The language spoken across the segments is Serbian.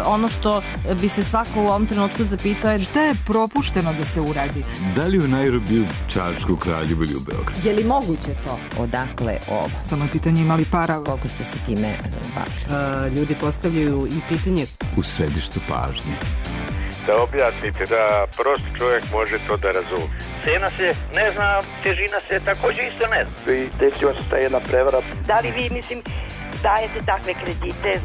ono što bi se svako u ovom trenutku zapitao je šta je propušteno da se uradi? Da li u Nairobiju, Čačku, Kraljevu ili u Beogradu? Je li moguće to? Odakle ovo? Samo je pitanje imali para. Koliko ste se time bavili? Ljudi postavljaju i pitanje U središtu pažnje. Da objasnite, da prosti čovjek može to da razumije. Cena se ne zna, težina se također isto ne zna. I desila se ta jedna prevara. Da li vi, dajete takve kredite?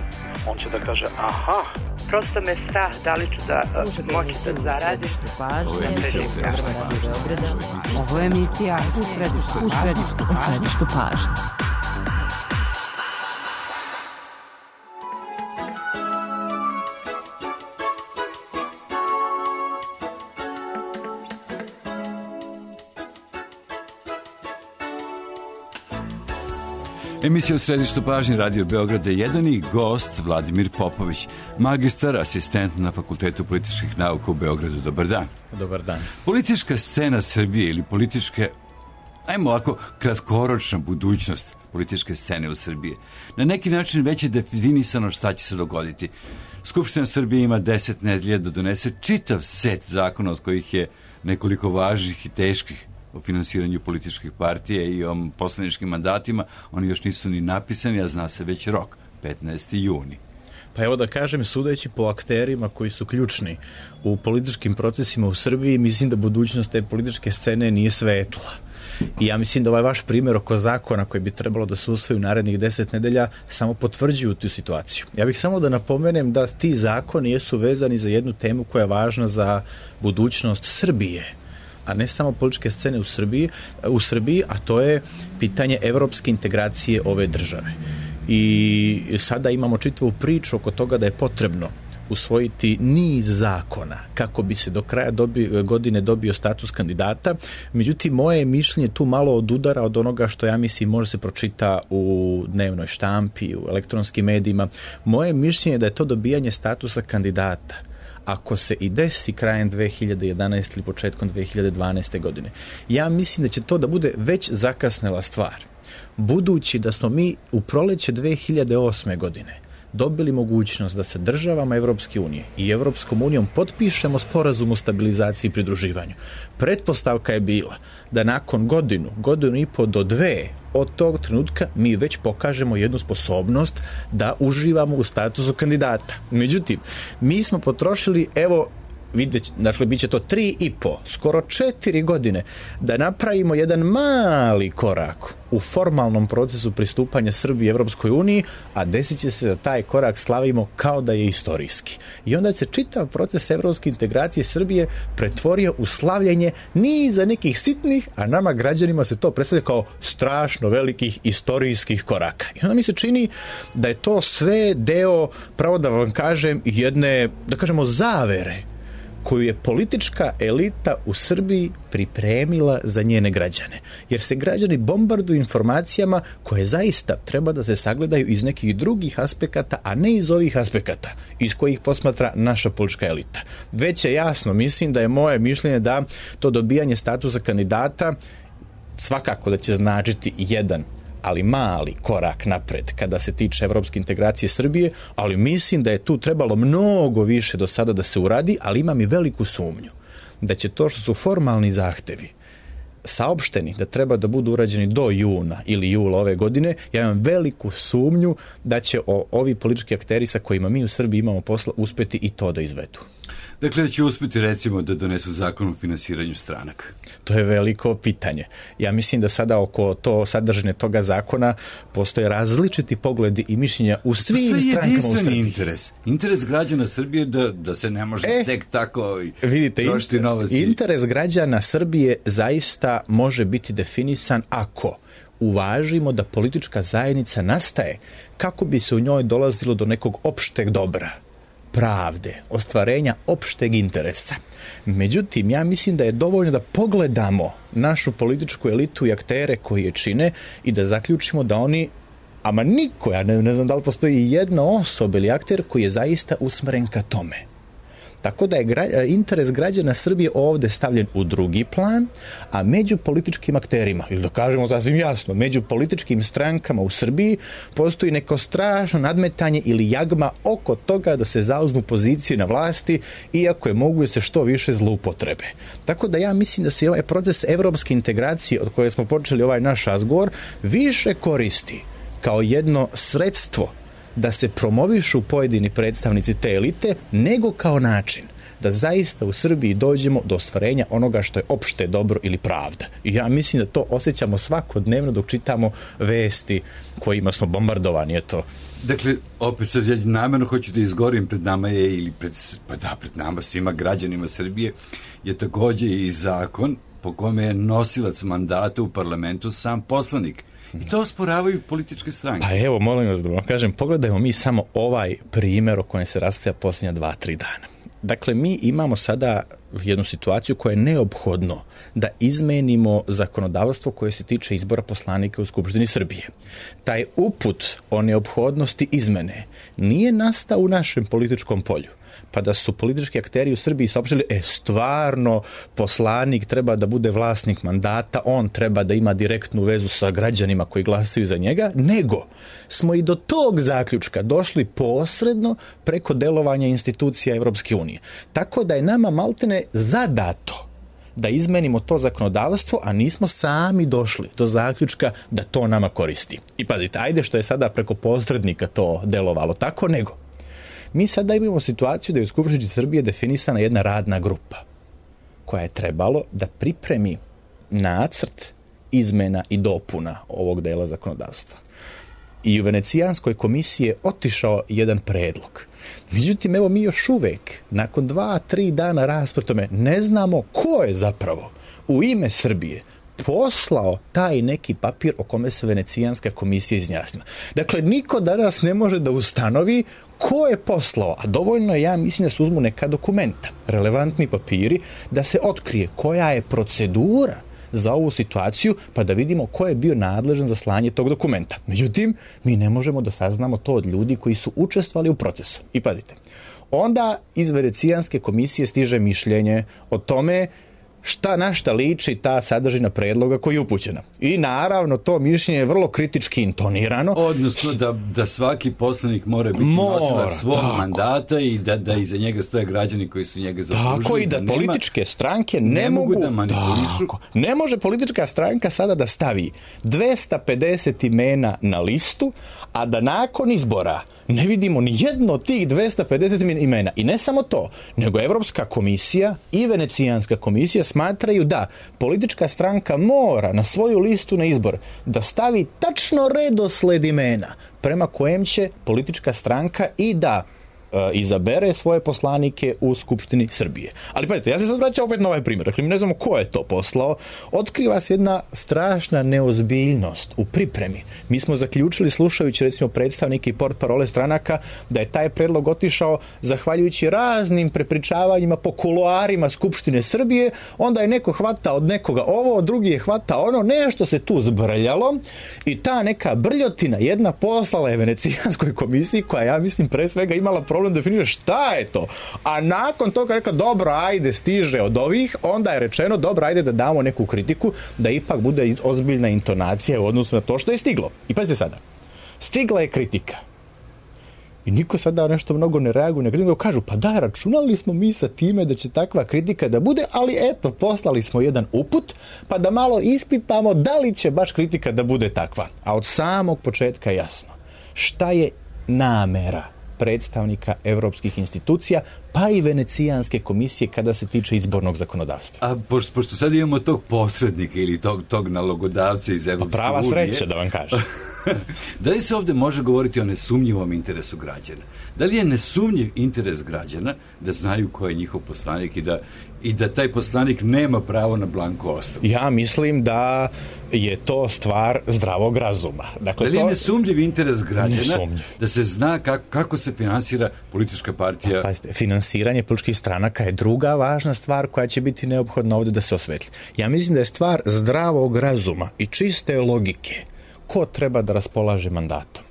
On će da kaže, aha. Prosto me strah, da li ću da moći da zaradim. Ovo je emisija U središtu pažnje. Emisija U središtu pažnje Radio Beograda 1 i gost Vladimir Popović, magistar, asistent na Fakultetu političkih nauka u Beogradu. Dobar dan. Dobar dan. Politička scena Srbije ili političke, ajmo ovako, kratkoročna budućnost političke scene u Srbiji. Na neki način već je definisano šta će se dogoditi. Skupština Srbije ima 10 nedelja da donese čitav set zakona, od kojih je nekoliko važnih i teških o finansiranju političkih partija i o poslaničkim mandatima. Oni još nisu ni napisani, a zna se već rok, 15. juni. Pa evo da kažem, sudeći po akterima koji su ključni u političkim procesima u Srbiji, mislim da budućnost te političke scene nije svetla. I ja mislim da ovaj vaš primjer oko zakona koji bi trebalo da se usvoji u narednih 10 nedelja samo potvrđuju tu situaciju. Ja bih samo da napomenem da ti zakoni jesu vezani za jednu temu koja je važna za budućnost Srbije, a ne samo političke scene u Srbiji, a to je pitanje evropske integracije ove države. I sada imamo čitavu priču oko toga da je potrebno usvojiti niz zakona kako bi se do kraja godine dobio status kandidata. Međutim, moje mišljenje tu malo odudara od onoga što ja mislim može se pročita u dnevnoj štampi, u elektronskim medijima. Moje mišljenje je da je to dobijanje statusa kandidata, ako se i desi krajem 2011. ili početkom 2012. godine. Ja mislim da će to da bude već zakasnela stvar. Budući da smo mi u proleće 2008. godine dobili mogućnost da se državama Evropske unije i Evropskom unijom potpišemo sporazum o stabilizaciji i pridruživanju. Pretpostavka je bila da nakon godinu i po do 2 od tog trenutka mi već pokažemo jednu sposobnost da uživamo u statusu kandidata. Međutim, mi smo potrošili, dakle, bit će to 3,5, skoro 4 godine da napravimo jedan mali korak u formalnom procesu pristupanja Srbije Evropskoj uniji, a desit će se da taj korak slavimo kao da je istorijski. I onda će čitav proces evropske integracije Srbije pretvorio u slavljenje niza nekih sitnih, a nama građanima se to predstavlja kao strašno velikih istorijskih koraka. I onda mi se čini da je to sve deo, pravo da vam kažem, jedne, da kažemo, zavere koju je politička elita u Srbiji pripremila za njene građane. Jer se građani bombarduju informacijama koje zaista treba da se sagledaju iz nekih drugih aspekata, a ne iz ovih aspekata iz kojih posmatra naša politička elita. Već je jasno, mislim da je moje mišljenje da to dobijanje statusa kandidata svakako da će značiti jedan, ali mali korak napred kada se tiče evropske integracije Srbije, ali mislim da je tu trebalo mnogo više do sada da se uradi, ali imam i veliku sumnju da će to što su formalni zahtevi saopšteni da treba da budu urađeni do juna ili jula ove godine, ja imam veliku sumnju da će ovi politički akteri sa kojima mi u Srbiji imamo posla uspeti i to da izvedu. Dakle, da će uspjeti, recimo, da donesu zakon o finansiranju stranaka? To je veliko pitanje. Ja mislim da sada oko sadržine toga zakona postoje različiti pogledi i mišljenja u svim strankama u Srbiji. Interes građana Srbije da se ne može tek tako trošiti novac. Interes građana Srbije zaista može biti definisan ako uvažimo da politička zajednica nastaje kako bi se u njoj dolazilo do nekog opšteg dobra, pravde, ostvarenja opšteg interesa. Međutim, ja mislim da je dovoljno da pogledamo našu političku elitu i aktere koji je čine i da zaključimo da oni, ama niko, ja ne znam da li postoji jedna osoba ili akter koji je zaista usmeren ka tome Tako da je interes građana Srbije ovde stavljen u drugi plan, a među političkim akterima, ili da kažemo sasvim jasno, među političkim strankama u Srbiji postoji neko strašno nadmetanje ili jagma oko toga da se zauzmu pozicije na vlasti, iako je moguće se što više zloupotrebe. Tako da ja mislim da se ovaj proces evropske integracije od koje smo počeli ovaj naš razgovor više koristi kao jedno sredstvo da se promovišu pojedini predstavnici te elite, nego kao način da zaista u Srbiji dođemo do ostvarenja onoga što je opšte dobro ili pravda. I ja mislim da to osjećamo svakodnevno dok čitamo vesti kojima smo bombardovani. Eto. Dakle, opet sad ja namjerno hoću da izgovorim, pred nama je, pred nama svima građanima Srbije, je takođe i zakon po kome je nosilac mandata u parlamentu sam poslanik. I to osporavaju političke stranke. Pa evo, molim vas da vam kažem, pogledajmo mi samo ovaj primjer o kojem se raspravlja posljednja 2-3 dana. Dakle, mi imamo sada jednu situaciju koja je neophodno da izmenimo zakonodavstvo koje se tiče izbora poslanika u Skupštini Srbije. Taj uput o neophodnosti izmene nije nastao u našem političkom polju, pa da su politički akteri u Srbiji saopštili, stvarno poslanik treba da bude vlasnik mandata, on treba da ima direktnu vezu sa građanima koji glasaju za njega, nego smo i do tog zaključka došli posredno preko delovanja institucija Evropske unije. Tako da je nama maltene zadato da izmenimo to zakonodavstvo, a nismo sami došli do zaključka da to nama koristi. I pazite, ajde što je sada preko posrednika to delovalo tako, nego mi sada imamo situaciju da je u Skupštini Srbije definisana jedna radna grupa koja je trebalo da pripremi nacrt izmena i dopuna ovog dela zakonodavstva. I u Venecijanskoj komisiji je otišao jedan predlog. Međutim, evo mi još uvek, nakon 2-3 dana rasprave, ne znamo ko je zapravo u ime Srbije poslao taj neki papir o kome se Venecijanska komisija izjasnila. Dakle, niko danas ne može da ustanovi ko je poslao, a dovoljno je, ja mislim, da se uzmu neka dokumenta, relevantni papiri, da se otkrije koja je procedura za ovu situaciju, pa da vidimo ko je bio nadležan za slanje tog dokumenta. Međutim, mi ne možemo da saznamo to od ljudi koji su učestvovali u procesu. I pazite, onda iz Venecijanske komisije stiže mišljenje o tome na šta liči ta sadržina predloga koji je upućena. I naravno to mišljenje je vrlo kritički intonirano. Odnosno da svaki poslanik mora biti nosilac svog mandata i da iza njega stoje građani koji su njega zaokružili. Tako i da političke stranke ne mogu da manipulišu. Ne može politička stranka sada da stavi 250 imena na listu, a da nakon izbora ne vidimo ni jedno od tih 250 imena. I ne samo to, nego Evropska komisija i Venecijanska komisija smatraju da politička stranka mora na svoju listu na izbor da stavi tačno redosled imena prema kojem će politička stranka i da izabere svoje poslanike u Skupštini Srbije. Ali pazite, ja se sad vraćam opet na ovaj primjer. Dakle, mi ne znamo ko je to poslao. Otkriva se jedna strašna neozbiljnost u pripremi. Mi smo zaključili, slušajući recimo predstavnike i portparole stranaka, da je taj predlog otišao zahvaljujući raznim prepričavanjima po kuloarima Skupštine Srbije, onda je neko hvata od nekoga ovo, drugi je hvata ono, nešto se tu zbrljalo i ta neka brljotina jedna poslala je Venecijanskoj komisiji, koja, ja mislim, pre svega imala problem definira šta je to. A nakon toga rekao, dobro, ajde, stiže od ovih, onda je rečeno, dobro, ajde da damo neku kritiku, da ipak bude ozbiljna intonacija u odnosu na to što je stiglo. I pazite sada, stigla je kritika. I niko sada nešto mnogo ne reaguje, nego kažu, pa da, računali smo mi sa time da će takva kritika da bude, ali eto, poslali smo jedan uput, pa da malo ispipamo da li će baš kritika da bude takva. A od samog početka je jasno šta je namera predstavnika evropskih institucija, pa i Venecijanske komisije kada se tiče izbornog zakonodavstva. A pošto sad imamo tog posrednika ili tog nalogodavca iz Evropske unije... Prava sreća, da vam kažem. Da li se ovdje može govoriti o nesumnjivom interesu građana? Da li je nesumnjiv interes građana da znaju ko je njihov poslanik i da taj poslanik nema pravo na blanko ostavku? Ja mislim da je to stvar zdravog razuma. Dakle, da li je nesumnjiv interes građana da se zna kako se finansira politička partija? Pa, pazite, finansiranje političkih stranaka je druga važna stvar koja će biti neophodna ovdje da se osvetli. Ja mislim da je stvar zdravog razuma i čiste logike ko treba da raspolaže mandatom.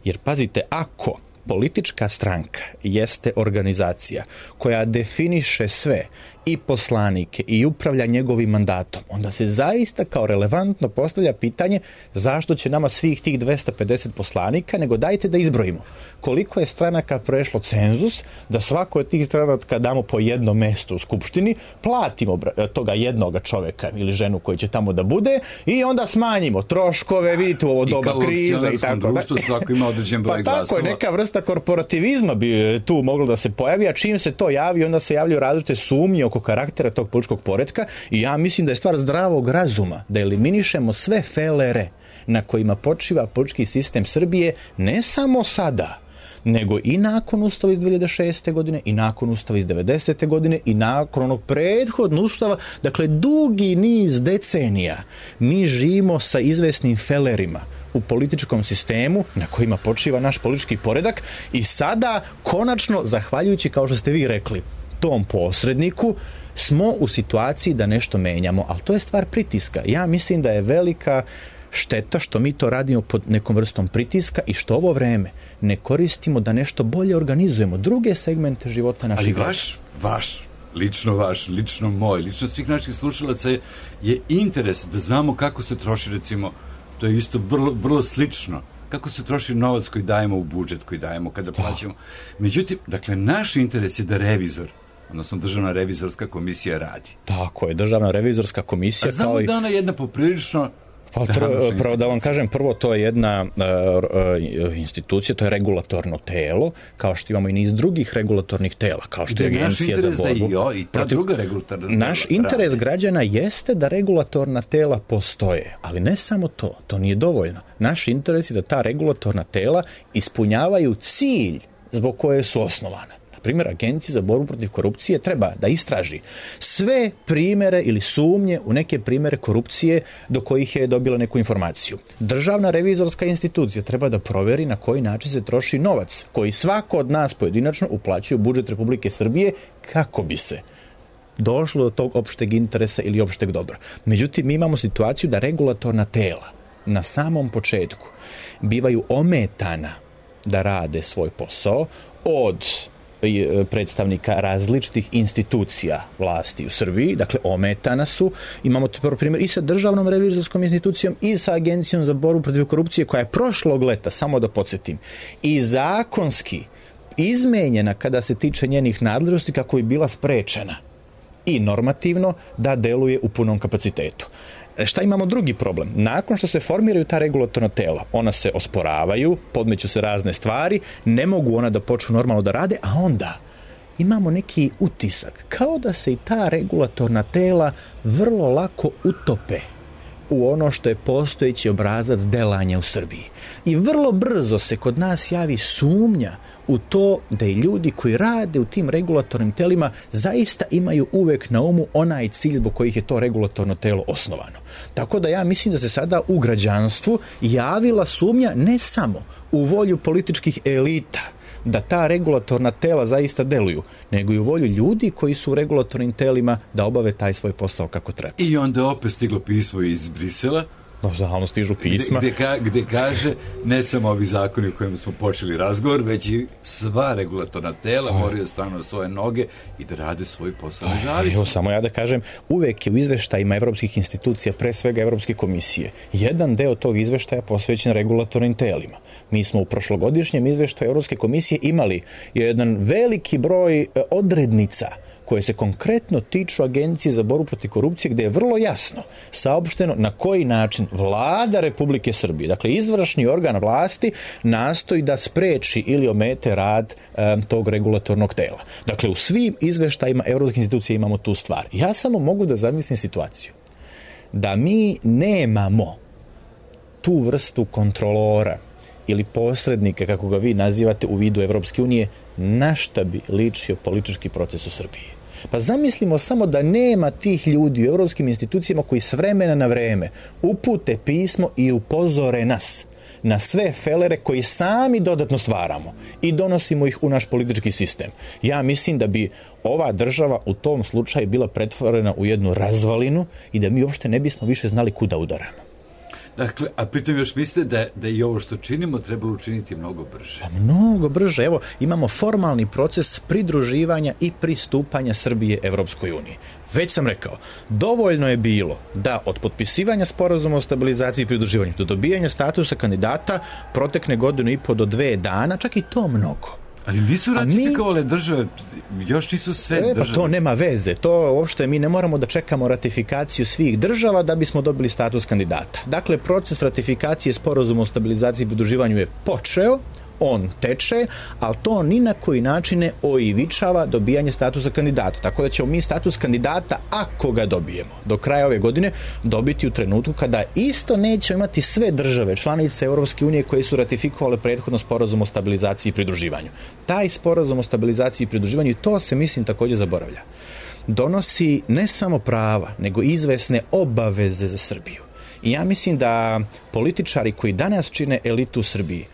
Jer pazite, ako politička stranka jeste organizacija koja definiše sve, i poslanike, i upravlja njegovim mandatom, onda se zaista kao relevantno postavlja pitanje zašto će nama svih tih 250 poslanika, nego dajte da izbrojimo koliko je stranaka prešlo cenzus, da svako od tih stranaka damo po jedno mesto u Skupštini, platimo toga jednoga čoveka ili ženu koji će tamo da bude i onda smanjimo troškove, vidite u ovo doba krize i tako da. Svako ima određen broj glasova. Pa tako je, neka vrsta korporativizma bi tu moglo da se pojavi, a čim se to javi, onda se javljaju različite sumnje oko karaktera tog političkog poretka i ja mislim da je stvar zdravog razuma da eliminišemo sve felere na kojima počiva politički sistem Srbije, ne samo sada, nego i nakon Ustava iz 2006. godine, i nakon Ustava iz 90. godine, i nakon onog prethodnog Ustava. Dakle, dugi niz decenija mi živimo sa izvesnim felerima u političkom sistemu na kojima počiva naš politički poredak i sada, konačno, zahvaljujući, kao što ste vi rekli, tom posredniku, smo u situaciji da nešto menjamo, ali to je stvar pritiska. Ja mislim da je velika šteta što mi to radimo pod nekom vrstom pritiska i što ovo vreme ne koristimo da nešto bolje organizujemo druge segmente života naših građana. Ali vaš, lično moj, lično svih naših slušalaca je interes da znamo kako se troši, recimo, to je isto vrlo slično, kako se troši novac koji dajemo u budžet, koji dajemo kada plaćamo. Međutim, dakle, naš interes je da revizor, odnosno Državna revizorska komisija radi. Tako je, Državna revizorska komisija. A znamo da ona je jedna poprilično... Prvo da vam kažem, prvo to je jedna institucija, to je regulatorno telo, kao što imamo i niz drugih regulatornih tela, kao što je Agencija za borbu. I ta druga regulatorna tela. Naš interes građana jeste da regulatorna tela postoje, ali ne samo to nije dovoljno. Naš interes je da ta regulatorna tela ispunjavaju cilj zbog koje su osnovane. Primjer, Agencija za borbu protiv korupcije treba da istraži sve primere ili sumnje u neke primere korupcije do kojih je dobila neku informaciju. Državna revizorska institucija treba da proveri na koji način se troši novac koji svako od nas pojedinačno uplaćuje u budžet Republike Srbije kako bi se došlo do tog opšteg interesa ili opšteg dobra. Međutim, mi imamo situaciju da regulatorna tela na samom početku bivaju ometana da rade svoj posao od predstavnika različitih institucija vlasti u Srbiji, dakle ometana su. Imamo to prvo primjer i sa Državnom revizorskom institucijom i sa Agencijom za borbu protiv korupcije koja je prošlog leta, samo da podsjetim, i zakonski izmenjena kada se tiče njenih nadležnosti kako bi bila sprečena i normativno da deluje u punom kapacitetu. Šta imamo drugi problem? Nakon što se formiraju ta regulatorna tela, ona se osporavaju, podmeću se razne stvari, ne mogu ona da počnu normalno da rade, a onda imamo neki utisak kao da se i ta regulatorna tela vrlo lako utope u ono što je postojeći obrazac delanja u Srbiji. I vrlo brzo se kod nas javi sumnja u to da i ljudi koji rade u tim regulatornim telima zaista imaju uvek na umu onaj cilj zbog kojih je to regulatorno telo osnovano. Tako da ja mislim da se sada u građanstvu javila sumnja ne samo u volju političkih elita da ta regulatorna tela zaista deluju, nego i u volju ljudi koji su u regulatornim telima da obave taj svoj posao kako treba. I onda opet stiglo pismo iz Brisela, stalno stižu pisma. Gde kaže, ne samo ovi zakoni u kojima smo počeli razgovor, već i sva regulatorna tela moraju stanu na svoje noge i da rade svoj posao nezavisno. Evo, samo ja da kažem, uvek je u izveštajima evropskih institucija, pre svega Evropske komisije, jedan deo tog izveštaja posvećen regulatornim telima. Mi smo u prošlogodišnjem izveštaju Evropske komisije imali jedan veliki broj odrednica koje se konkretno tiču Agencije za borbu protiv korupcije, gde je vrlo jasno saopšteno na koji način Vlada Republike Srbije, dakle izvršni organ vlasti, nastoji da spreči ili omete rad tog regulatornog tela. Dakle, u svim izveštajima evropskih institucija imamo tu stvar. Ja samo mogu da zamislim situaciju da mi nemamo tu vrstu kontrolora ili posrednika, kako ga vi nazivate, u vidu Evropske unije, na šta bi ličio politički proces u Srbiji. Pa zamislimo samo da nema tih ljudi u evropskim institucijama koji s vremena na vreme upute pismo i upozore nas na sve felere koji sami dodatno stvaramo i donosimo ih u naš politički sistem. Ja mislim da bi ova država u tom slučaju bila pretvorena u jednu razvalinu i da mi uopšte ne bismo više znali kuda udaramo. Dakle, a pritom još mislite da i ovo što činimo trebalo učiniti mnogo brže. Mnogo brže. Evo, imamo formalni proces pridruživanja i pristupanja Srbije Evropskoj uniji. Već sam rekao, dovoljno je bilo da od potpisivanja sporazuma o stabilizaciji i pridruživanju do dobijanja statusa kandidata protekne 1,5 do 2 dana, čak i to mnogo. Ali nisu ratifikovale države, još nisu sve države. Pa to nema veze, to uopšte mi ne moramo da čekamo ratifikaciju svih država da bismo dobili status kandidata. Dakle, proces ratifikacije sporazuma o stabilizaciji i pridruživanju je počeo, on teče, ali to ni na koji način ne oivičava dobijanje statusa kandidata. Tako da ćemo mi status kandidata, ako ga dobijemo, do kraja ove godine dobiti u trenutku kada isto neće imati sve države članice Europske unije koje su ratifikovale prethodno sporazum o stabilizaciji i pridruživanju. Taj sporazum o stabilizaciji i pridruživanju, to se mislim također zaboravlja, donosi ne samo prava, nego izvesne obaveze za Srbiju. I ja mislim da političari koji danas čine elitu u Srbiji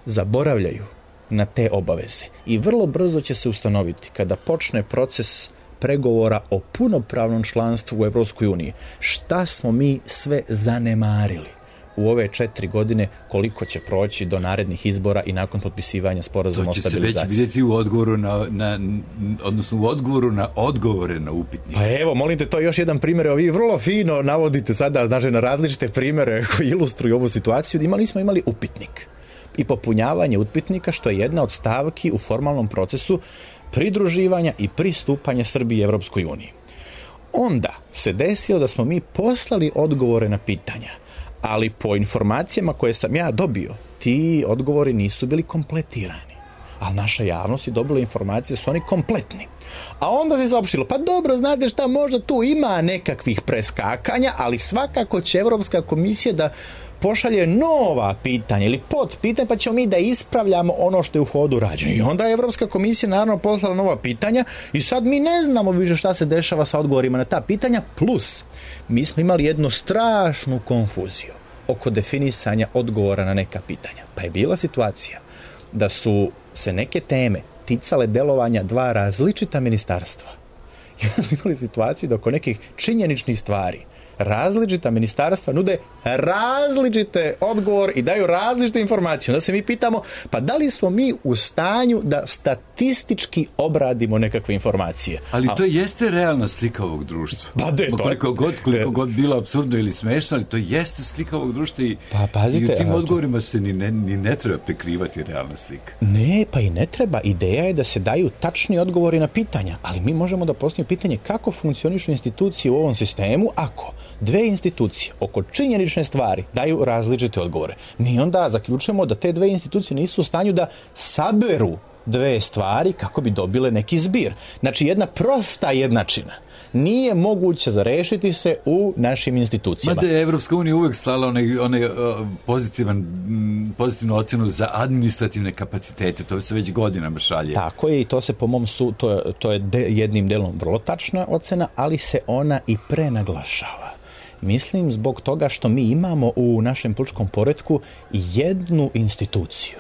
zaboravljaju na te obaveze i vrlo brzo će se ustanoviti kada počne proces pregovora o punopravnom članstvu u Evropskoj uniji šta smo mi sve zanemarili u ove 4 godine, koliko će proći do narednih izbora i nakon potpisivanja sporazuma o stabilizaciji. To će se već vidjeti u odgovoru odnosno u odgovoru na odgovore na upitnike. Pa evo, molim te, to je još jedan primjer. Vi vrlo fino navodite sada, znači, na različite primjere koji ilustruju ovu situaciju. Smo imali upitnik i popunjavanje upitnika, što je jedna od stavki u formalnom procesu pridruživanja i pristupanja Srbije Evropskoj uniji. Onda se desilo da smo mi poslali odgovore na pitanja, ali po informacijama koje sam ja dobio, ti odgovori nisu bili kompletirani. Ali naša javnost je dobila informacije da su oni kompletni. A onda se saopštilo, pa dobro, znate šta, možda tu ima nekakvih preskakanja, ali svakako će Evropska komisija da pošalje nova pitanja ili podpitanja, pa ćemo mi da ispravljamo ono što je u hodu rađeno. I onda je Evropska komisija naravno poslala nova pitanja i sad mi ne znamo više šta se dešava sa odgovorima na ta pitanja, plus mi smo imali jednu strašnu konfuziju oko definisanja odgovora na neka pitanja. Pa je bila situacija da su se neke teme ticale delovanja 2 različita ministarstva. I onda smo imali situaciju da oko nekih činjeničnih stvari različita ministarstva nude različite odgovor i daju različite informacije. Onda se mi pitamo, pa da li smo mi u stanju da statistički obradimo nekakve informacije? Ali to jeste realna slika ovog društva. Koliko god bilo apsurdno ili smešno, ali to jeste slika ovog društva i, i u tim odgovorima se ni ne treba prikrivati realna slika. Ne, pa i ne treba. Ideja je da se daju tačni odgovori na pitanja, ali mi možemo da postavimo pitanje kako funkcionišu institucije u ovom sistemu ako 2 institucije oko činjenične stvari daju različite odgovore. Mi onda zaključujemo da te 2 institucije nisu u stanju da saberu 2 stvari kako bi dobile neki zbir. Znači, jedna prosta jednačina nije moguće zarešiti se u našim institucijama. Mada je Evropska unija uvek slala pozitivnu ocjenu za administrativne kapacitete. To se već godinama šalje. Tako je, i to se po mom to je jednim delom vrlo tačna ocena, ali se ona i prenaglašava. Mislim zbog toga što mi imamo u našem političkom poretku jednu instituciju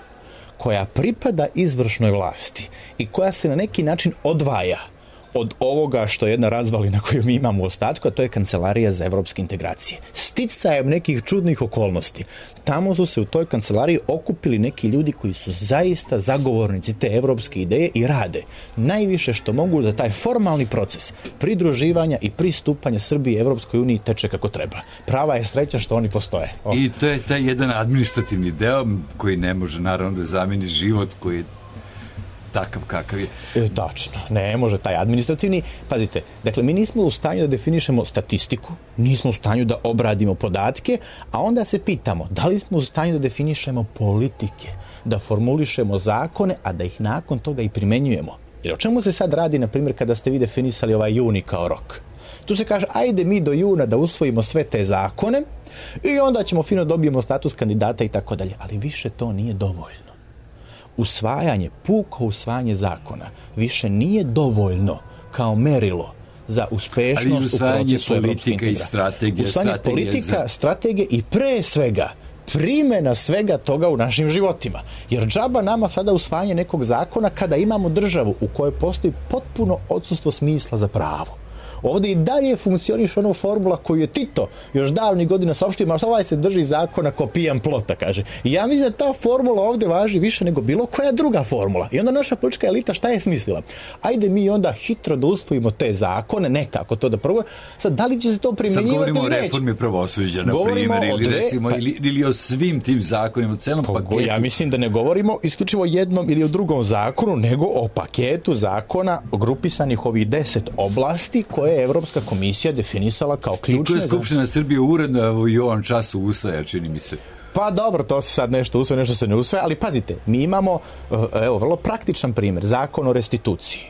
koja pripada izvršnoj vlasti i koja se na neki način odvaja od ovoga što je jedna razvalina koju mi imamo u ostatku, a to je Kancelarija za evropske integracije. Sticajem nekih čudnih okolnosti. Tamo su se u toj kancelariji okupili neki ljudi koji su zaista zagovornici te evropske ideje i rade najviše što mogu da taj formalni proces pridruživanja i pristupanja Srbije Evropskoj uniji teče kako treba. Prava je sreća što oni postoje. I to je taj jedan administrativni deo koji ne može naravno da zameni život koji je takav kakav je. Tačno, ne može taj administrativni. Pazite, dakle, mi nismo u stanju da definišemo statistiku, nismo u stanju da obradimo podatke, a onda se pitamo da li smo u stanju da definišemo politike, da formulišemo zakone, a da ih nakon toga i primenjujemo. Jer o čemu se sad radi, na primjer, kada ste vi definisali ovaj juni kao rok? Tu se kaže, ajde mi do juna da usvojimo sve te zakone i onda ćemo fino dobijemo status kandidata i tako dalje. Ali više to nije dovoljno. Puko usvajanje zakona više nije dovoljno kao merilo za uspešnost u procesu evropske integracije. Usvajanje politika, strategije i pre svega primjena svega toga u našim životima. Jer džaba nama sada usvajanje nekog zakona kada imamo državu u kojoj postoji potpuno odsustvo smisla za pravo, Ovdje i dalje funkcioniše ono formula koju je Tito još davnih godina saopštio, ma ovaj se drži zakona ko pijan plota, kaže. I ja mislim da ta formula ovdje važi više nego bilo koja druga formula. I onda naša politička elita šta je smislila? Ajde mi onda hitro da usvojimo te zakone, nekako to da prvo. Sad, da li će se to primjenjivati? Sad govorimo o reformi pravosuđa, na primjer, ili o svim tim zakonima, o celom paketu. Ja mislim da ne govorimo isključivo jednom ili o drugom zakonu, nego o paketu zakona grupisanih ovih 10 oblasti koje je Evropska komisija definisala kao ključne. I koje Skupština Srbije uredno i u ovom času usvaja, čini mi se. Pa dobro, to se sad nešto usvaja, nešto se ne usvaja, ali pazite, mi imamo, evo, vrlo praktičan primjer, zakon o restituciji.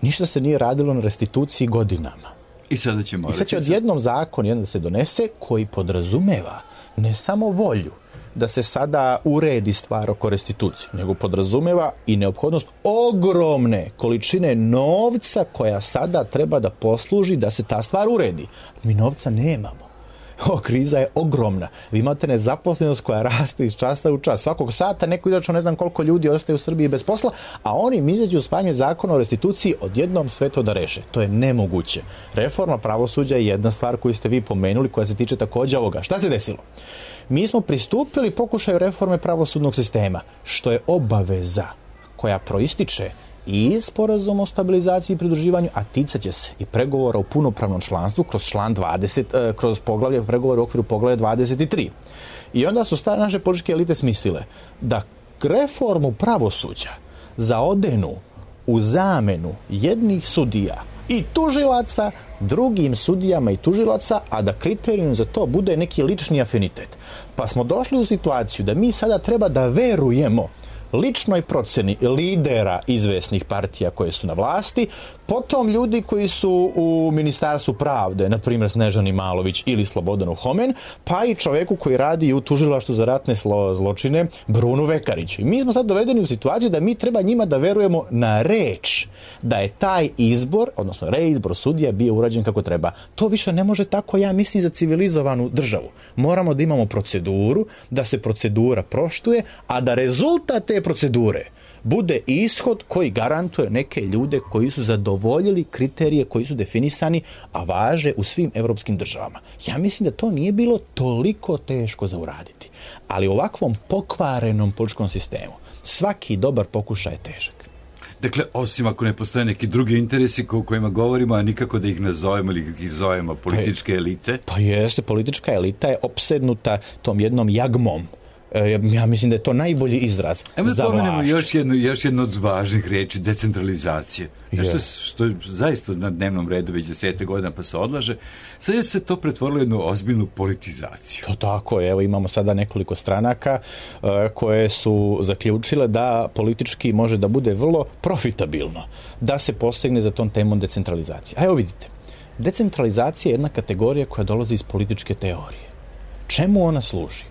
Ništa se nije radilo na restituciji godinama. I sada će odjednom zakon jedan da se donese koji podrazumeva ne samo volju da se sada uredi stvar oko restitucije, nego podrazumeva i neophodnost ogromne količine novca koja sada treba da posluži da se ta stvar uredi. Mi novca nemamo. Kriza je ogromna. Vi imate nezaposlenost koja raste iz časa u čas. Svakog sata neko izačno ne znam koliko ljudi ostaje u Srbiji bez posla, a oni izađu usvajanje zakona o restituciji odjednom sve to da reše. To je nemoguće. Reforma pravosuđa je jedna stvar koju ste vi pomenuli, koja se tiče također ovoga. Šta se desilo? Mi smo pristupili pokušaju reforme pravosudnog sistema, što je obaveza koja proističe i sporazum o stabilizaciji i pridruživanju, a ticat će se i pregovora o punopravnom članstvu kroz član 20, kroz poglavlje pregovora u okviru poglavlja 23. I onda su stare naše političke elite smislile da reformu pravosuđa zaodenu u zamenu jednih sudija i tužilaca drugim sudijama i tužilaca, a da kriterijum za to bude neki lični afinitet. Pa smo došli u situaciju da mi sada treba da verujemo ličnoj procjeni lidera izvesnih partija koje su na vlasti, potom ljudi koji su u Ministarstvu pravde, na primjer Snežani Malović ili Slobodanu Homen, pa i čovjeku koji radi u tužilaštvu za ratne zločine, Brunu Vekariću. I mi smo sad dovedeni u situaciju da mi treba njima da verujemo na reč da je taj izbor, odnosno reizbor sudija bio urađen kako treba. To više ne može tako, ja mislim, za civilizovanu državu. Moramo da imamo proceduru, da se procedura poštuje, a da rezultat te procedure bude ishod koji garantuje neke ljude koji su zadovoljili kriterije koji su definisani, a važe u svim evropskim državama. Ja mislim da to nije bilo toliko teško za uraditi. Ali u ovakvom pokvarenom političkom sistemu svaki dobar pokušaj je težak. Dakle, osim ako ne postoje neki drugi interesi o kojima govorimo, a nikako da ih nazovemo ili ih zovemo političke elite? Pa jeste, politička elita je opsednuta tom jednom jagmom. Ja mislim da je to najbolji izraz. Evo da pomenemo još jednu od važnih riječi, decentralizacije. Nešto što je zaista na dnevnom redu već 10 godina pa se odlaže. Sad je se to pretvorilo jednu ozbiljnu politizaciju. To tako je. Evo imamo sada nekoliko stranaka koje su zaključile da politički može da bude vrlo profitabilno da se postigne za tom temom decentralizacije. A evo vidite, decentralizacija je jedna kategorija koja dolazi iz političke teorije. Čemu ona služi?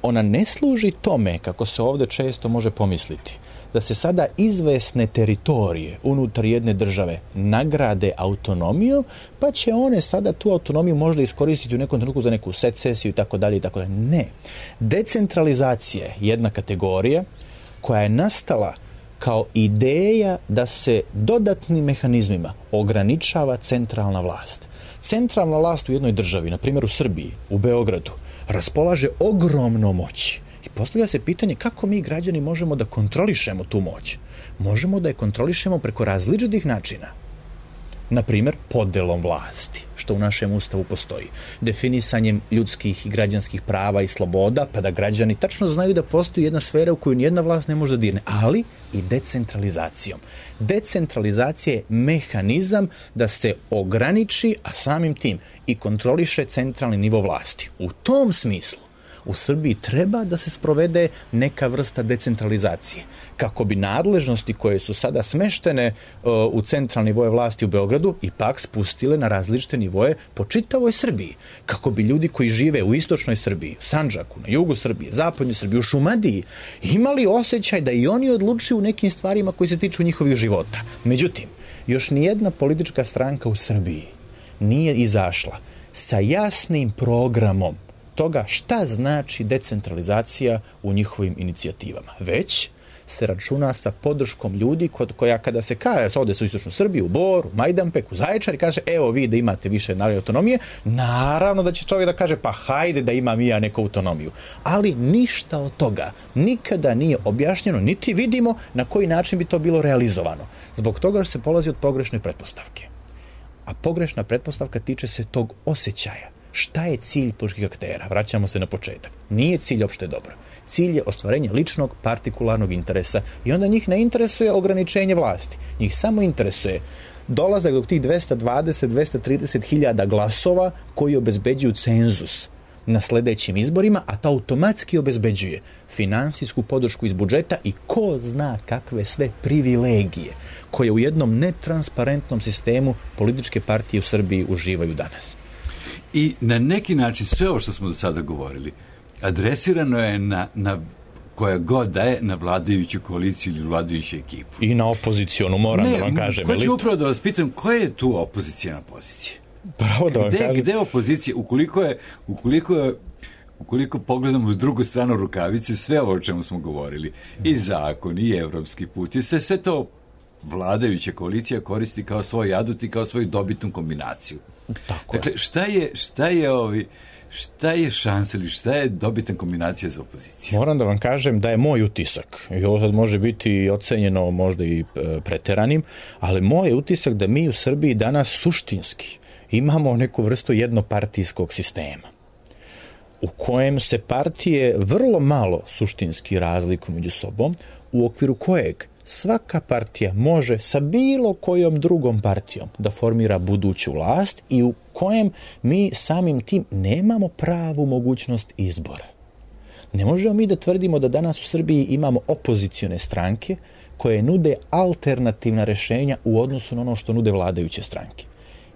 Ona ne služi tome, kako se ovdje često može pomisliti, da se sada izvesne teritorije unutar jedne države nagrade autonomiju, pa će one sada tu autonomiju možda iskoristiti u nekom trenutku za neku secesiju i tako dalje i tako dalje. Ne. Decentralizacija je jedna kategorija koja je nastala kao ideja da se dodatnim mehanizmima ograničava centralna vlast. Centralna vlast u jednoj državi, na primjer u Srbiji, u Beogradu, raspolaže ogromnom moći. I postavlja se pitanje kako mi građani možemo da kontrolišemo tu moć. Možemo da je kontrolišemo preko različitih načina. Na primjer, podelom vlasti, što u našem ustavu postoji. Definisanjem ljudskih i građanskih prava i sloboda, pa da građani tačno znaju da postoji jedna sfera u koju nijedna vlast ne može da dirne, ali i decentralizacijom. Decentralizacija je mehanizam da se ograniči, a samim tim i kontroliše centralni nivo vlasti. U tom smislu u Srbiji treba da se sprovede neka vrsta decentralizacije, kako bi nadležnosti koje su sada smeštene u centralni nivoje vlasti u Beogradu ipak spustile na različite nivoje po čitavoj Srbiji, kako bi ljudi koji žive u istočnoj Srbiji, u Sandžaku, na jugu Srbije, zapadnoj Srbiji, u Šumadiji, imali osjećaj da i oni odlučuju u nekim stvarima koji se tiču njihovih života. Međutim, još nijedna politička stranka u Srbiji nije izašla sa jasnim programom toga šta znači decentralizacija u njihovim inicijativama. Već se računa sa podrškom ljudi koja kada se kaže ovdje su istočnu Srbiju, u Bor, u Majdanpek, u Zaječar i kaže evo vi da imate više autonomije, naravno da će čovjek da kaže pa hajde da imam i ja neku autonomiju. Ali ništa od toga nikada nije objašnjeno, niti vidimo na koji način bi to bilo realizovano. Zbog toga što se polazi od pogrešne pretpostavke. A pogrešna pretpostavka tiče se tog osjećaja. Šta je cilj političkih aktera? Vraćamo se na početak. Nije cilj opšte dobro. Cilj je ostvarenje ličnog, partikularnog interesa i onda njih ne interesuje ograničenje vlasti. Njih samo interesuje dolazak do tih 220-230 hiljada glasova koji obezbeđuju cenzus na sljedećim izborima, a to automatski obezbeđuje finansijsku podršku iz budžeta i ko zna kakve sve privilegije koje u jednom netransparentnom sistemu političke partije u Srbiji uživaju danas. I na neki način sve ovo što smo do sada govorili adresirano je na koja god da je na vladajuću koaliciju ili vladajuću ekipu. I na opozicionu, moram da vam kažem. Hoću upravo da vas pitam, koja je tu opozicijna pozicija? Pravo da vam kažem. Gde je opozicija? Ukoliko pogledamo s drugu stranu rukavice, sve ovo o čemu smo govorili, i zakon, i evropski put, i sve to vladajuća koalicija koristi kao svoj adut i kao svoju dobitnu kombinaciju. Tako dakle, šta je šansa ili šta je dobitna kombinacija za opoziciju? Moram da vam kažem da je moj utisak, i ovo sad može biti ocenjeno možda i preteranim, ali moj je utisak da mi u Srbiji danas suštinski imamo neku vrstu jednopartijskog sistema u kojem se partije vrlo malo suštinski razlikuju među sobom, u okviru kojeg svaka partija može sa bilo kojom drugom partijom da formira buduću vlast i u kojem mi samim tim nemamo pravu mogućnost izbora. Ne možemo mi da tvrdimo da danas u Srbiji imamo opozicione stranke koje nude alternativna rješenja u odnosu na ono što nude vladajuće stranke.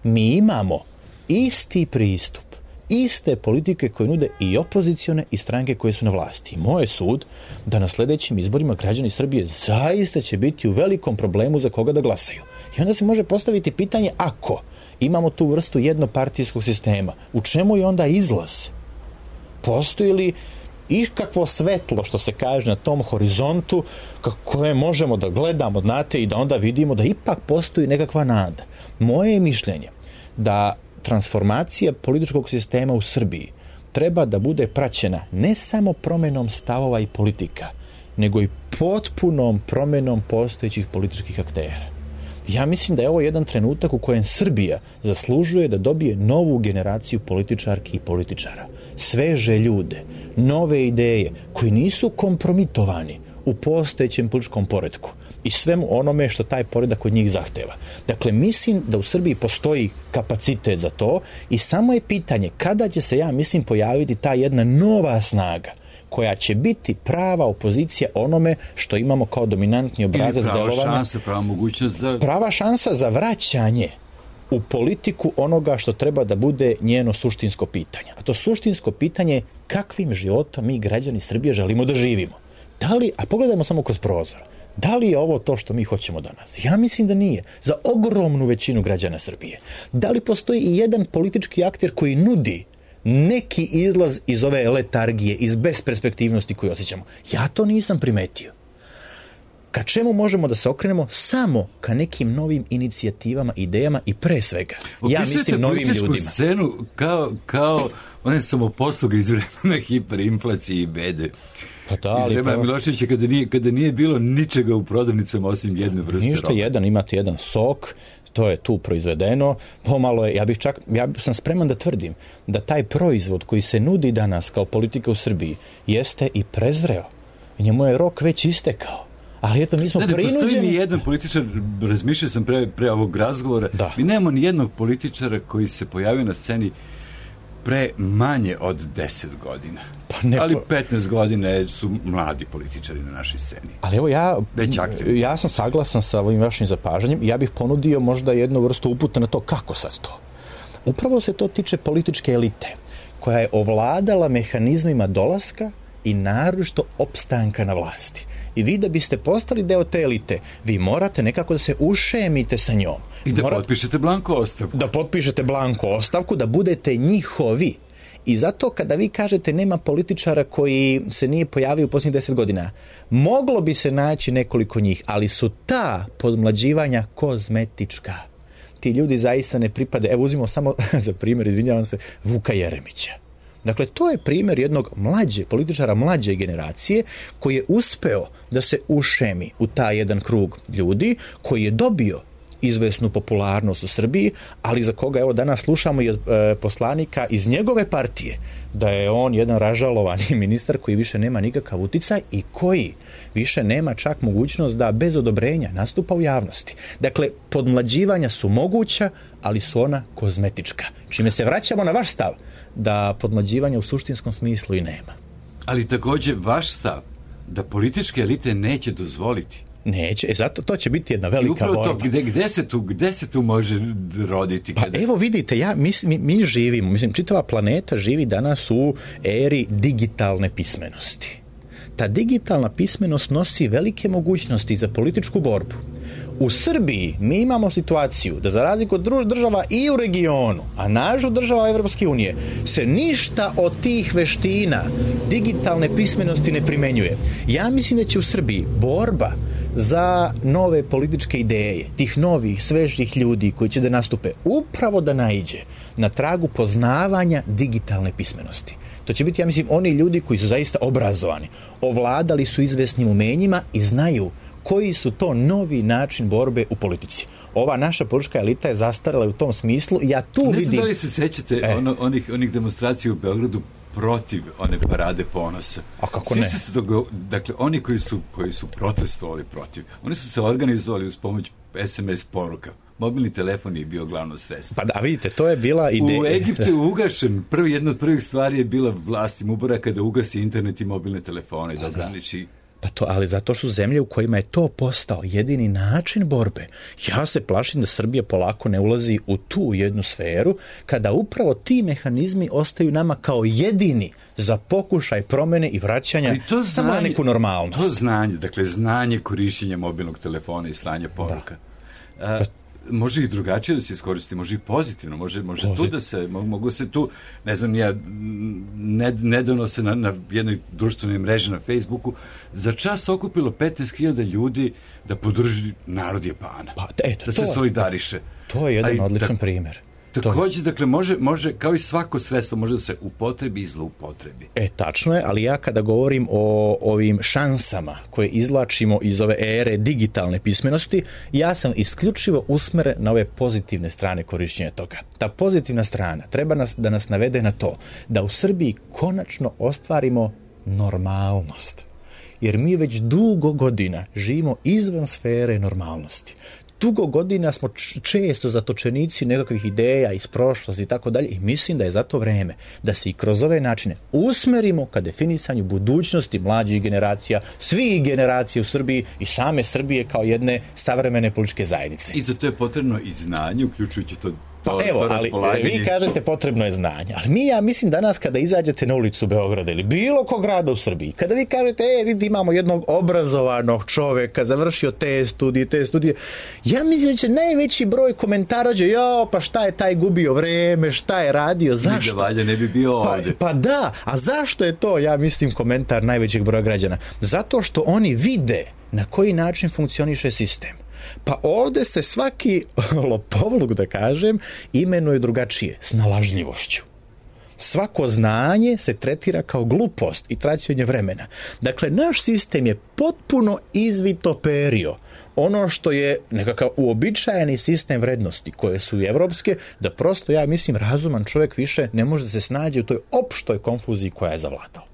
Mi imamo isti pristup, iste politike koje nude i opozicione i stranke koje su na vlasti. Moj je sud da na sljedećim izborima građani Srbije zaista će biti u velikom problemu za koga da glasaju. I onda se može postaviti pitanje, ako imamo tu vrstu jednopartijskog sistema, u čemu je onda izlaz? Postoji li ikakvo svetlo, što se kaže, na tom horizontu koje možemo da gledamo, znate, i da onda vidimo da ipak postoji nekakva nada. Moje je mišljenje da transformacija političkog sistema u Srbiji treba da bude praćena ne samo promjenom stavova i politika, nego i potpunom promjenom postojećih političkih aktera. Ja mislim da je ovo jedan trenutak u kojem Srbija zaslužuje da dobije novu generaciju političarki i političara. Sveže ljude, nove ideje koji nisu kompromitovani u postojećem političkom poretku i svemu onome što taj poredak od njih zahteva. Dakle, mislim da u Srbiji postoji kapacitet za to i samo je pitanje kada će se, ja mislim, pojaviti ta jedna nova snaga koja će biti prava opozicija onome što imamo kao dominantni obrazac delovanja. Prava šansa za vraćanje u politiku onoga što treba da bude njeno suštinsko pitanje. A to suštinsko pitanje je kakvim životom mi građani Srbije želimo da živimo. Da li, a pogledajmo samo kroz prozor, da li je ovo to što mi hoćemo danas? Ja mislim da nije. Za ogromnu većinu građana Srbije. Da li postoji i jedan politički akter koji nudi neki izlaz iz ove letargije, iz besperspektivnosti koju osjećamo? Ja to nisam primetio. Ka čemu možemo da se okrenemo? Samo ka nekim novim inicijativama, idejama i pre svega, ja mislim, novim ljudima. Scenu kao one samoposluge iz vremena hiperinflacije i bede. Pa da, iz vremena Miloševića kada nije bilo ničega u prodavnicama osim jedne vrste ništa robe. Imate jedan sok, to je tu proizvedeno, pomalo je, ja sam spreman da tvrdim da taj proizvod koji se nudi danas kao politika u Srbiji jeste i prezreo. Njemu je rok već istekao. Ali eto, mi smo prinuđeni. Ne postoji ni jedan političar, razmišljao sam pre ovog razgovora, mi nemamo ni jednog političara koji se pojavio na sceni pre manje od 10 godina. Ali 15 godina su mladi političari na našoj sceni. Ali evo ja sam saglasan sa ovim vašim zapažanjem i ja bih ponudio možda jednu vrstu uputa na to kako sad to. Upravo se to tiče političke elite koja je ovladala mehanizmima dolaska i naročito opstanka na vlasti. I vi da biste postali deo te elite, vi morate nekako da se ušemite sa njom. I da potpišete blanko ostavku. Da potpišete blanko ostavku, da budete njihovi. I zato kada vi kažete nema političara koji se nije pojavio u posljednjih 10 godina, moglo bi se naći nekoliko njih, ali su ta podmlađivanja kozmetička. Ti ljudi zaista ne pripade. Evo uzmimo samo za primjer, izvinjavam se, Vuka Jeremića. Dakle, to je primjer jednog političara mlađe generacije koji je uspeo da se ušemi u taj jedan krug ljudi, koji je dobio izvesnu popularnost u Srbiji, ali za koga evo danas slušamo i od poslanika iz njegove partije da je on jedan ražalovani ministar koji više nema nikakav uticaj i koji više nema čak mogućnost da bez odobrenja nastupa u javnosti. Dakle, podmlađivanja su moguća, ali su ona kozmetička. Čime se vraćamo na vaš stav da podmlađivanja u suštinskom smislu i nema. Ali također vaš stav da političke elite neće dozvoliti. Neće, zato to će biti jedna velika borba. To, gde se tu može roditi? Pa evo vidite, mi živimo, čitava planeta živi danas u eri digitalne pismenosti. Ta digitalna pismenost nosi velike mogućnosti za političku borbu. U Srbiji mi imamo situaciju da za razliku od država i u regionu, a nažu država Evropske unije, se ništa od tih veština digitalne pismenosti ne primenjuje. Ja mislim da će u Srbiji borba za nove političke ideje, tih novih, svežih ljudi koji će da nastupe, upravo da naiđe na tragu poznavanja digitalne pismenosti. To će biti, ja mislim, oni ljudi koji su zaista obrazovani, ovladali su izvesnim umenjima i znaju koji su to novi način borbe u politici. Ova naša politička elita je zastarela u tom smislu i ja tu vidim... Ne znam da li se sećate onih demonstracija u Beogradu protiv one parade ponosa. A kako ne? Dakle, oni koji su protestovali protiv, oni su se organizovali uz pomoć SMS poruka. Mobilni telefon je bio glavno sredstvo. Pa da, vidite, to je bila ideja. U Egiptu je ugašen. Jedna od prvih stvari je bila vlast Mubaraka da ugasi internet i mobilne telefone i da ograniči. Pa to, ali zato su zemlje u kojima je to postao jedini način borbe. Ja se plašim da Srbija polako ne ulazi u tu jednu sferu kada upravo ti mehanizmi ostaju nama kao jedini za pokušaj promene i vraćanja samo na neku normalnost. To znanje korišćenja mobilnog telefona i slanja poruka. Može i drugačije da se iskoristi, može i pozitivno, može tu da se, mogu se tu, ne znam, nedavno se na jednoj društvenoj mreži na Facebooku za čas okupilo 15.000 ljudi da podrži narod Japana. Da se solidariše. To je jedan odličan primjer. Također, dakle, može, kao i svako sredstvo, može da se upotrebi i zloupotrebi. Tačno je, ali ja kada govorim o ovim šansama koje izvlačimo iz ove ere digitalne pismenosti, ja sam isključivo usmeren na ove pozitivne strane korišćenja toga. Ta pozitivna strana treba da nas navede na to da u Srbiji konačno ostvarimo normalnost. Jer mi već dugo godina živimo izvan sfere normalnosti. Dugo godina smo često zatočenici nekakvih ideja iz prošlosti i tako dalje i mislim da je zato vreme da se i kroz ove načine usmerimo ka definisanju budućnosti mlađih generacija, svih generacija u Srbiji i same Srbije kao jedne savremene političke zajednice. I za to je potrebno i znanje, uključujući to ali vi kažete potrebno je znanje, ali ja mislim danas kada izađete na ulicu Beograda ili bilo kog grada u Srbiji, kada vi kažete vidi imamo jednog obrazovanog čoveka, završio te studije, ja mislim da će najveći broj komentara pa šta je taj gubio vreme, šta je radio, zašto? Valja ne bi bio ovdje. Pa da, a zašto je to, ja mislim, komentar najvećeg broja građana? Zato što oni vide na koji način funkcioniše sistem. Pa ovdje se svaki lopovluk, da kažem, imenuje drugačije, snalažljivošću. Svako znanje se tretira kao glupost i traćenje vremena. Dakle, naš sistem je potpuno izvitoperio ono što je nekakav uobičajeni sistem vrednosti koje su i evropske, da prosto, ja mislim, razuman čovjek više ne može da se snađe u toj opštoj konfuziji koja je zavladala.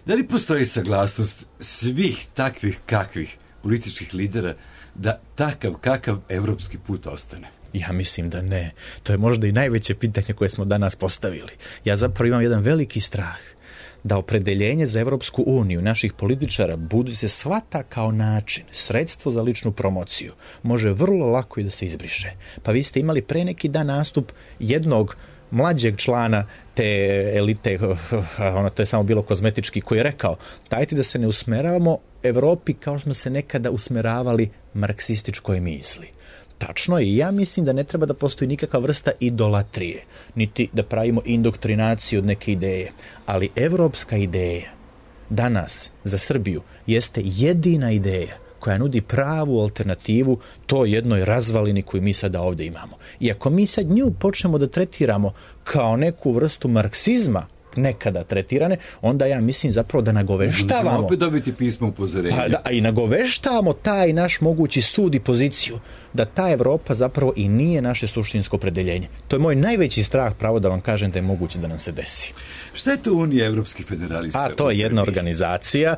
Da li postoji saglasnost svih takvih kakvih političkih lidera da takav kakav evropski put ostane? Ja mislim da ne. To je možda i najveće pitanje koje smo danas postavili. Ja zapravo imam jedan veliki strah da opredeljenje za Evropsku uniju naših političara budu se shvata kao način, sredstvo za ličnu promociju, može vrlo lako i da se izbriše. Pa vi ste imali pre neki dan nastup jednog mlađeg člana te elite, to je samo bilo kozmetički, koji je rekao, dajte da se ne usmeravamo Evropi kao što smo se nekada usmeravali marksističkoj misli. Tačno je, i ja mislim da ne treba da postoji nikakva vrsta idolatrije, niti da pravimo indoktrinaciju od neke ideje, ali evropska ideja danas za Srbiju jeste jedina ideja koja nudi pravu alternativu toj jednoj razvalini koju mi sada ovdje imamo. I ako mi sad nju počnemo da tretiramo kao neku vrstu marksizma, nekada tretirane, onda ja mislim zapravo da nagoveštavamo... Možemo opet dobiti pismo upozorenja. A i nagoveštavamo taj naš mogući sud i poziciju da ta Evropa zapravo i nije naše suštinsko opredeljenje. To je moj najveći strah, pravo da vam kažem da je moguće da nam se desi. Šta je to Unija evropskih federalista? A to je jedna organizacija,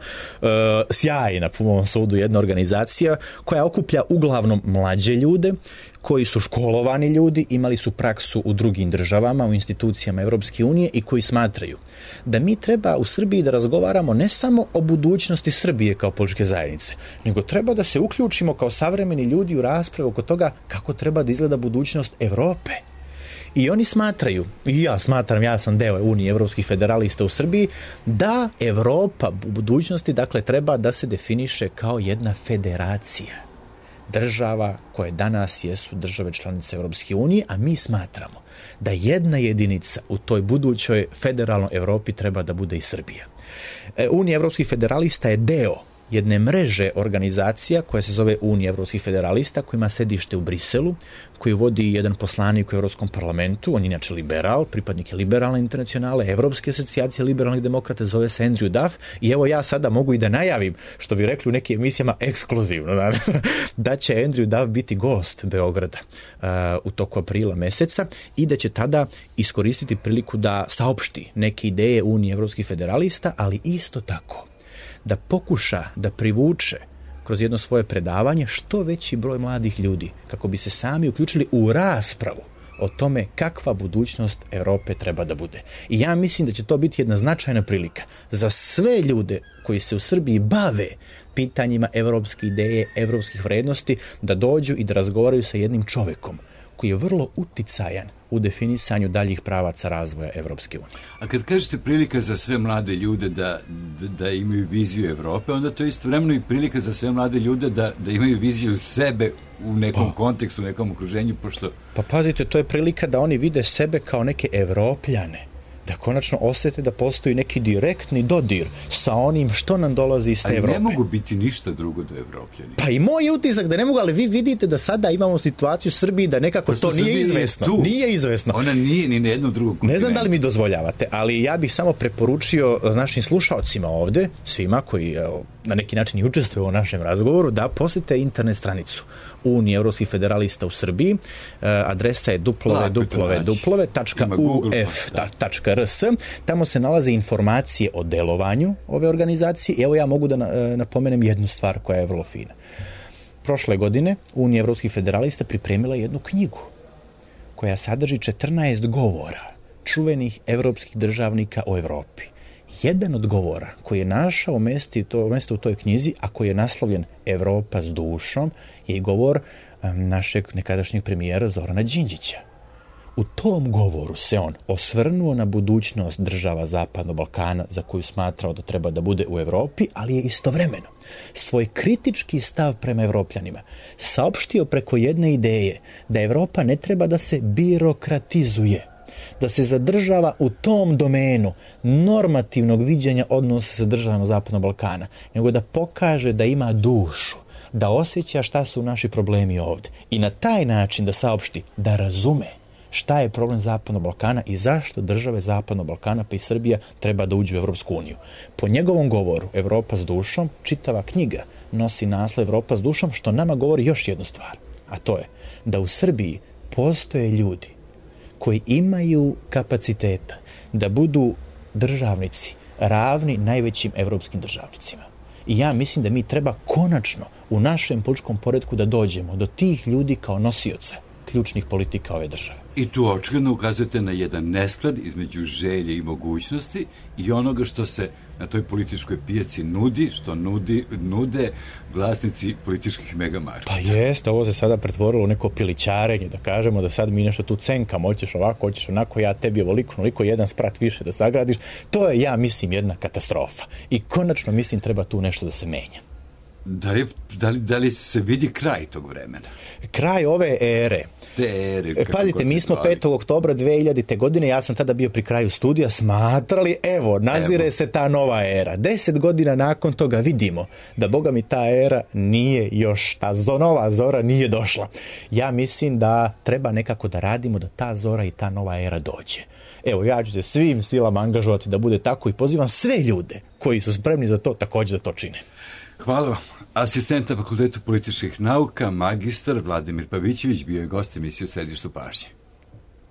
sjajna po mom sudu, jedna organizacija koja okuplja uglavnom mlađe ljude, koji su školovani ljudi, imali su praksu u drugim državama, u institucijama Evropske unije i koji smatraju da mi treba u Srbiji da razgovaramo ne samo o budućnosti Srbije kao političke zajednice, nego treba da se uključimo kao savremeni ljudi u raspravu oko toga kako treba da izgleda budućnost Evrope. I oni smatraju, i ja smatram, ja sam deo Unije evropskih federalista u Srbiji, da Evropa u budućnosti, dakle, treba da se definiše kao jedna federacija država koje danas jesu države članice Evropske unije, a mi smatramo da jedna jedinica u toj budućoj federalnoj Evropi treba da bude i Srbija. Unija evropskih federalista je deo jedne mreže organizacija koja se zove Unija evropskih federalista, koja ima sedište u Briselu, koju vodi jedan poslanik u Evropskom parlamentu, on je inače liberal, pripadnik je liberalne internacionale, Evropske asocijacije liberalnih demokrata, zove se Andrew Duff, i evo ja sada mogu i da najavim, što bi rekli u nekim emisijama ekskluzivno, da će Andrew Duff biti gost Beograda u toku aprila meseca i da će tada iskoristiti priliku da saopšti neke ideje Unije evropskih federalista, ali isto tako da pokuša da privuče kroz jedno svoje predavanje što veći broj mladih ljudi kako bi se sami uključili u raspravu o tome kakva budućnost Europe treba da bude. I ja mislim da će to biti jedna značajna prilika za sve ljude koji se u Srbiji bave pitanjima evropske ideje, evropskih vrednosti, da dođu i da razgovaraju sa jednim čovekom koji je vrlo uticajan u definisanju daljih pravaca razvoja Evropske unije. A kad kažete prilika za sve mlade ljude da imaju viziju Evrope, onda to je istovremeno i prilika za sve mlade ljude da imaju viziju sebe u nekom kontekstu, u nekom okruženju, pošto... Pa pazite, to je prilika da oni vide sebe kao neke Evropljane, da konačno osjete da postoji neki direktni dodir sa onim što nam dolazi iz te Evrope. Ali ne mogu biti ništa drugo do Evropljani. Pa i moj utisak da ne mogu, ali vi vidite da sada imamo situaciju u Srbiji da nekako to nije izvesno. Nije izvesno. Ona nije ni na jednom drugom kontinentu. Ne znam da li mi dozvoljavate, ali ja bih samo preporučio našim slušaocima ovde, svima koji na neki način i učestvuju u našem razgovoru, da posete internet stranicu Unije evropskih federalista u Srbiji. Adresa je www.uf.rs. Tamo se nalaze informacije o delovanju ove organizacije. I evo ja mogu da napomenem jednu stvar koja je vrlo fina. Prošle godine Unija evropskih federalista pripremila jednu knjigu koja sadrži 14 govora čuvenih evropskih državnika o Evropi. Jedan od govora koji je našao mesto u toj knjizi, a koji je naslovljen Evropa s dušom, je govor našeg nekadašnjeg premijera Zorana Đinđića. U tom govoru se on osvrnuo na budućnost država Zapadnog Balkana za koju smatrao da treba da bude u Evropi, ali je istovremeno svoj kritički stav prema Evropljanima saopštio preko jedne ideje da Evropa ne treba da se birokratizuje, da se zadržava u tom domenu normativnog viđenja odnosa sa državama Zapadnog Balkana, nego da pokaže da ima dušu, da osjeća šta su naši problemi ovdje i na taj način da saopšti, da razume šta je problem Zapadnog Balkana i zašto države Zapadnog Balkana pa i Srbija treba da uđu u Evropsku uniju. Po njegovom govoru Evropa s dušom, čitava knjiga nosi naslov Evropa s dušom, što nama govori još jednu stvar, a to je da u Srbiji postoje ljudi koji imaju kapaciteta da budu državnici ravni najvećim evropskim državnicima. I ja mislim da mi treba konačno u našem političkom poretku da dođemo do tih ljudi kao nosioca ključnih politika ove države. I tu očigledno ukazujete na jedan nesklad između želje i mogućnosti i onoga što se na toj političkoj pijaci nudi, što nude vlasnici političkih megamarketa. Pa jeste, ovo se sada pretvorilo u neko pilićarenje, da kažemo da sad mi nešto tu cenkamo, hoćeš ovako, hoćeš onako, ja tebi ovoliko, jedan sprat više da sagradiš. To je, ja mislim, jedna katastrofa. I konačno, mislim, treba tu nešto da se menja. Da li se vidi kraj tog vremena? Kraj ove ere. Pazite, mi smo 5. oktobra 2000. godine, ja sam tada bio pri kraju studija, smatrali, nazire se ta nova era. 10 godina nakon toga vidimo da, boga mi, ta era nije još, ta nova zora nije došla. Ja mislim da treba nekako da radimo da ta zora i ta nova era dođe. Evo, ja ću se svim silama angažovati da bude tako i pozivam sve ljude koji su spremni za to također da to čine. Hvala vam. Asistent na Fakultetu političkih nauka, magistar Vladimir Pavićević bio je gost emisije U središtu pažnje.